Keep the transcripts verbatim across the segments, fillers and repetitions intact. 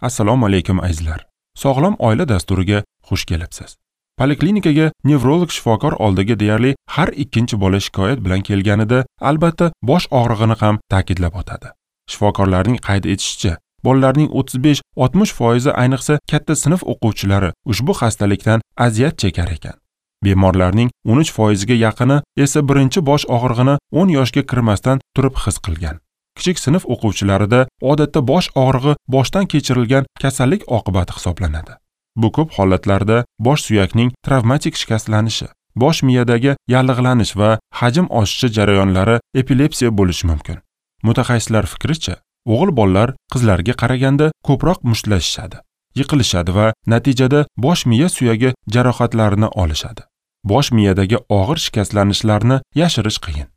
Assalomu alaykum azizlar. Sog'lom oila dasturiga xush kelibsiz. Poliklinikaga nevrolog shifokor oldiga deyarli har ikkinchi bola shikoyat bilan kelganida albatta bosh og'rig'ini ham ta'kidlab o'tadi. Shifokorlarning qayd etishicha, bolalarning o'ttiz besh oltmish foizi, ayniqsa katta sinf o'quvchilari ushbu xastalikdan aziyat chekar ekan. Bemorlarning o'n uch foiziga yaqini esa birinchi bosh og'rig'ini o'n yoshga kirmasdan turib his qilgan. Kichik sinf o'quvchilarida odatda bosh og'rig'i boshdan kechirilgan kasallik oqibati hisoblanadi. Bu ko'p holatlarda bosh suyakning travmatik shikastlanishi, bosh miyadagi yallig'lanish va hajm oshishi jarayonlari epilepsiya bo'lishi mumkin. Mutaxassislar fikricha, o'g'il bolalar qizlarga qaraganda ko'proq mushtlashishadi, yiqilishadi va natijada bosh miya suyagi jarohatlarini olishadi. Bosh miyadagi og'ir shikastlanishlarni yashirish qiyin.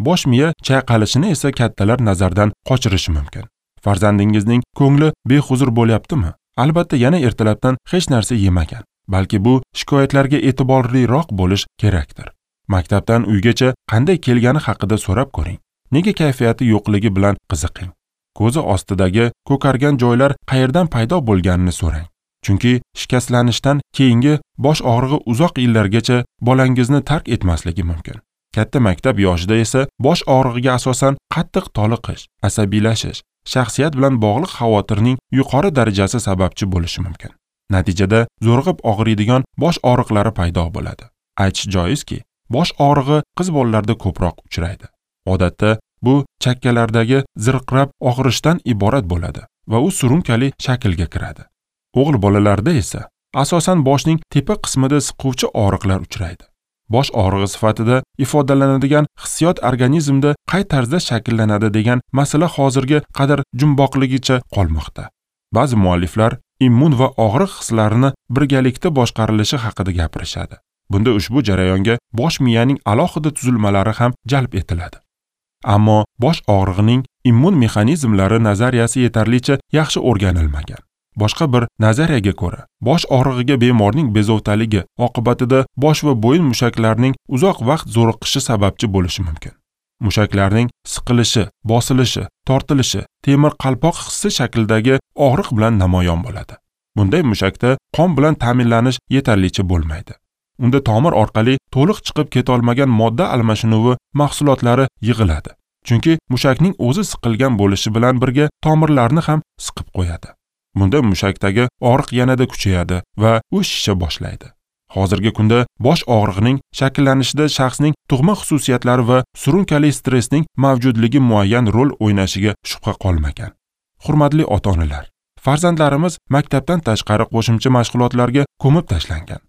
Bosh miya chayqalishini esa kattalar nazardan qochirishi mumkin. Farzandingizning ko'ngli behuzur bo'lyaptimi? Albatta yana ertalabdan hech narsa yemagan. Balki bu shikoyatlarga e'tiborliroq bo'lish kerakdir. Maktabdan uygacha qanday kelgani haqida so'rab ko'ring. Nega kayfiyati yo'qligi bilan qiziqing. Ko'zi ostidagi ko'kargan joylar qayerdan paydo bo'lganini so'rang. Chunki shikastlanishdan keyingi bosh og'rig'i uzoq yillargacha bolangizni tark etmasligi mumkin. Katta maktab yoshida esa bosh og'rig'iga asosan qattiq toliqish, asabiylashish, shaxsiyat bilan bog'liq xavotirning yuqori darajasi sababchi bo'lishi mumkin. Natijada zo'rg'ib og'riydigan bosh og'riqlari paydo bo'ladi. Aytish joizki, bosh og'rig'i qiz bolalarda ko'proq uchraydi. Odatda bu chakkalardagi zirqirab og'rishdan iborat bo'ladi va u surunkali shaklga kiradi. O'g'il bolalarda esa asosan boshning tepa qismida siquvchi og'riqlar uchraydi. Bosh og'rig'i sifatida ifodalanadigan hissiyot organizmda qay tarzda shakllanadi degan masala hozirga qadar jumboqligicha qolmoqda. Ba'zi mualliflar immun va og'riq hislarini birgalikda boshqarilishi haqida gapirishadi. Bunda ushbu jarayonga bosh miyaning alohida tuzilmalari ham jalb etiladi. Ammo bosh og'rig'ining immun mexanizmlari nazariyasi yetarlicha yaxshi o'rganilmagan. Boshqa bir nazariyaga ko'ra, bosh og'rig'iga bemorning bezovtaligi oqibatida bosh va bo'yin mushaklarining uzoq vaqt zo'riqishi sababchi bo'lishi mumkin. Mushaklarning siqilishi, bosilishi, tortilishi temir qalpoq hissi shaklidagi og'riq bilan namoyon bo'ladi. Bunday mushakda qon bilan ta'minlanish yetarlicha bo'lmaydi. Unda tomir orqali to'liq chiqib ketolmagan modda almashinuvi mahsulotlari yig'iladi. Chunki mushakning o'zi siqilgan bo'lishi bilan birga tomirlarni ham siqib qo'yadi. Bunda mushakdagi og'riq yanada kuchayadi va u shisha boshlaydi. Hozirgi kunda bosh og'rig'ining shakllanishida shaxsning tug'ma xususiyatlari va surunkali stressning mavjudligi muayyan rol o'ynashiga shubha qolmagan. Hurmatli ota-onalar, farzandlarimiz maktabdan tashqari qo'shimcha mashg'ulotlarga ko'mib tashlangan.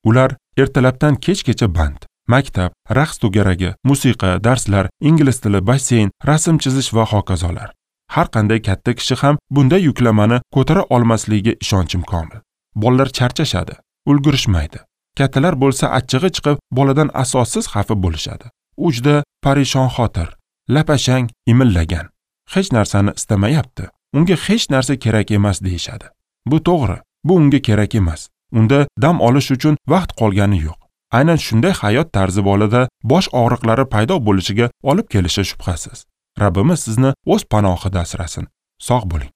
Ular ertalabdan kechgacha band. Maktab, raqs to'garagi, musiqa, darslar, ingliz tili, basseyn, rasm chizish va hokazolar. Har qanday katta kishi ham bunday yuklamani ko'tara olmasligiga ishonchim komil. Bolalar charchashadi, ulgurishmaydi. Kattalar bo'lsa achchig'i chiqib, boladan asossiz xafa bo'lishadi. U juda parishonxotir, lapashang, imillagan. Hech narsani istamayapti. Unga hech narsa kerak emas deyishadi. Bu to'g'ri, bu unga kerak emas. Unda dam olish uchun vaqt qolgani yo'q. Aynan shunday hayot tarzi bolada bosh og'riqlari paydo bo'lishiga olib kelishi shubhasiz. Rabbimiz sizni o'z panohida asrasin. Sog' bo'ling.